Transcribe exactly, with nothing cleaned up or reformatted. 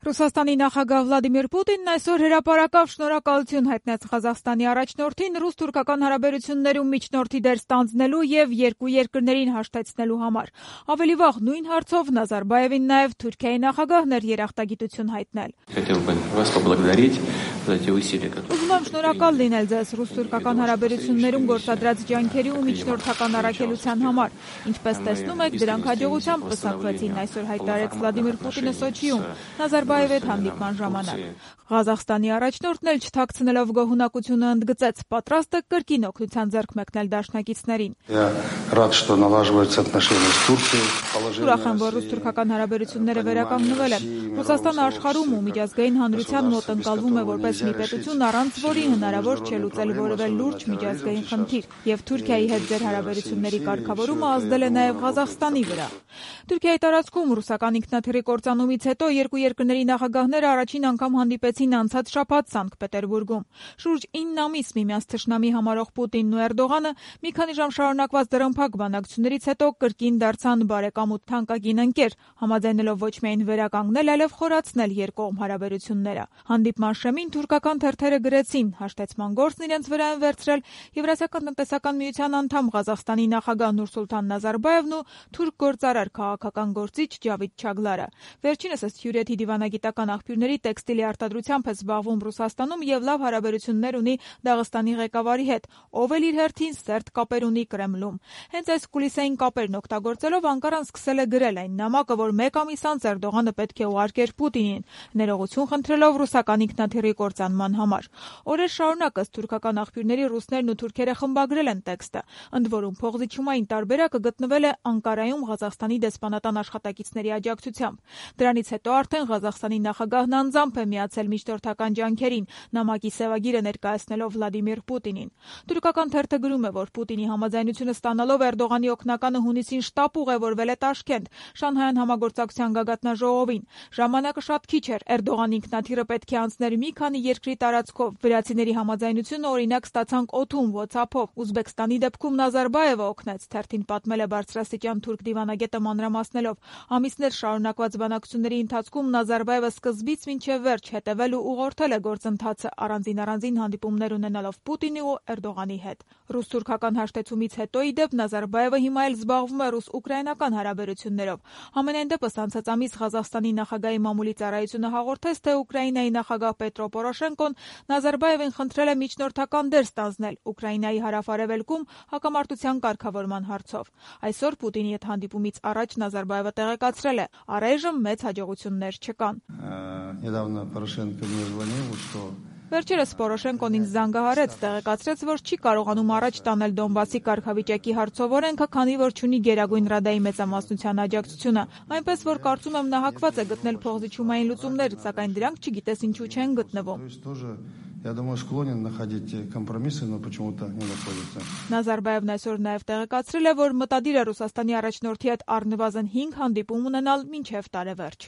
Ռուսաստանի նախագահ Վլադիմիր Պուտինն այսօր հրապարակավ շնորհակալություն հայտնեց Ղազախստանի առաջնորդին ռուս-թուրքական հարաբերություններում միջնորդի դեր ստանձնելու եւ երկու երկրներին հաշտեցնելու համար։ Ավելի վաղ նույն հարցով Նազարբաևին նաեւ Թուրքիայի նախագահն էր երախտագիտություն հայտնել։ Ուզում եմ շնորհակալ լինել ձեզ ռուս-թուրքական հարաբերություններում գործադրած ջանքերի ու միջնորդական առաքելության համար։ Ինչպես տեսնում եք, դրանք հաջողությամբ պսակվեցին, այսօր հայտարարեց Վլադիմիր Պուտինը Սոչիում Նազարբաևի հետ հանդիպման ժամանակ։ Ղազախստանի առաջնորդն էլ չթաքցնելով գոհունակությունը ընդգծեց, պատրաստ է կրկին օգնության ձեռք մեկնել դաշնակիցներին։ Ուրախ եմ, որ ռուս-թուրքական հարաբերությունները վերականգնվել են։ Ռուսաստանը աշխարհում ու միջազգային հանրության մոտ ընկալվում է որպես մի պետություն, առանց որի հնարավոր չէ լուծել որևէ լուրջ միջազգային խնդիր, եւ Թուրքիայի հետ ձեր հարաբերությունների կարգավորումը ազդել է նաեւ Ղազախստանի վրա։ Թուրքիայի տարածքում ռուսական ինքնաթիռի կործանումից հետո երկու երկրների նախագահները առաջին անգամ հանդիպեցին անցած շաբաթ Սանկտ Պետերբուրգում։ Շուրջ ինը ամիս միմյանց թշնամի համարող Պուտինն ու Էրդողանը մի քանի ժամ շարունակված դռնփակ բանակցություններից հետո կրկին դարձան բարեկամ ու թանկագին ընկեր, համաձայնելով ոչ միայն վերականգնել, այլև խորացնել երկկողմ հարաբերությունները։ Հանդիպման շեմին թուրքական թերթերը գրեցին, հաշտեցման գործն իրենց վրա են վերցրել Եվրասիական տնտեսական միության անդամ Ղազախստանի նախագահ Նուրսուլտան Նազարբաևն ու թուրք գործարար քաղաքական գործիչ Ջավիդ Չագլարը։ Վերջինս ըստ Հյուրեթի դիվանագիտական աղբյուրների տեքստիլի արտադրությամբ է զբաղվում Ռուսաստանում եւ լավ հարաբերություններ ունի Դաղստանի ղեկավարի հետ, ով էլ իր հերթին սերտ կապեր ունի Կրեմլում։ Հենց այս կուլիսային կապերն օգտագործելով Անկարան սկսել է գրել այն նամակը, որ մեկ ամիս անց Էրդողանը պետք է ուղարկեր Պուտինին, ներողություն խնդրելով ռուսական ինքնաթիռի կործանման համար։ Օրեր շարունակ ըստ թուրքական աղբյուրների ռուսներն ու թուրքերը խմբագրել են տեքստը, ընդ որում փողզիչումային տարբերակը գտնվել է Անկարայում Ղազախստանի դեսպանատան աշխատակիցների աջակցությամբ։ Դրանից հետո արդեն Ղազախստանի նախագահն անձամբ է միացել միջնորդական ջանքերին, նամակի սևագիրը ներկայացնելով Վլադիմիր Պուտինին։ Թուրքական թերթը գրում է, որ Պուտինի համաձայնությունը ստանալով Էրդողանի օգնականը հունիսին շտապ ուղևորվել է Տաշկենտ, Շանհայյան համագործակցության գագաթնաժողովին։ Ժամանակը շատ քիչ էր, Էրդողանի ինքնաթիռը պետք է անցներ մի քանի երկրի տարածքով։ Վրացիների համաձայնությունը օրինակ ստացանք օդում, WhatsApp-ով։ Ուզբեկստանի դեպքում Նազարբաևը օգնեց, թերթին պատմել է բարձրաստիճան թուրք դիվանագետը մանրամասնելով։ Ամիսներ շարունակված բանակցությունների ընթացքում Նազարբաևը սկզբից մինչև վերջ հետևել ու ուղղորդել է գործընթացը, առանձին-առանձին հանդիպումներ ունենալով Պուտինի ու Էրդողանի հետ։ Ռուս-թուրքական հաշտեցումից հետո ի դեպ Նազարբաևը հիմա էլ զբաղվում է ռուս-ուկրաինական հարաբերություններով։ Համենայն դեպս անցած ամիս Ղազախստանի նախագահի մամուլի ծառայությունը հաղորդեց, թե Ուկրաինայի նախագահ Պետրո Պորոշենկոն Նազարբաևին խնդրել է միջնորդական դեր ստանձնել Ուկրաինայի հարավ-արևելքում հակամարտության կարգավորման հարցով։ Այսօր Պուտինի հետ հանդիպումից առաջ Նազարբաևը տեղեկացրել է, առայժմ մեծ հաջողություններ չկան։ Վերջերս Պորոշենկոն ինձ զանգահարեց, տեղեկացրեց, որ չի կարողանում առաջ տանել Դոնբասի կարգավիճակի հարցով օրենքը, քանի որ չունի Գերագույն Ռադայի մեծամասնության աջակցությունը, այնպես որ կարծում եմ նա հակված է գտնել փողզիչումային լուծումներ, սակայն դրանք չգիտես ինչու չեն գտնվում։ Я думаю, склонен находить компромиссы, но почему-то не находится. Նազարբաևն այսօր նաև տեղեկացրել է, որ մտադիր է Ռուսաստանի առաջնորդի հետ առնվազն հինգ հանդիպում ունենալ մինչև տարեվերջ։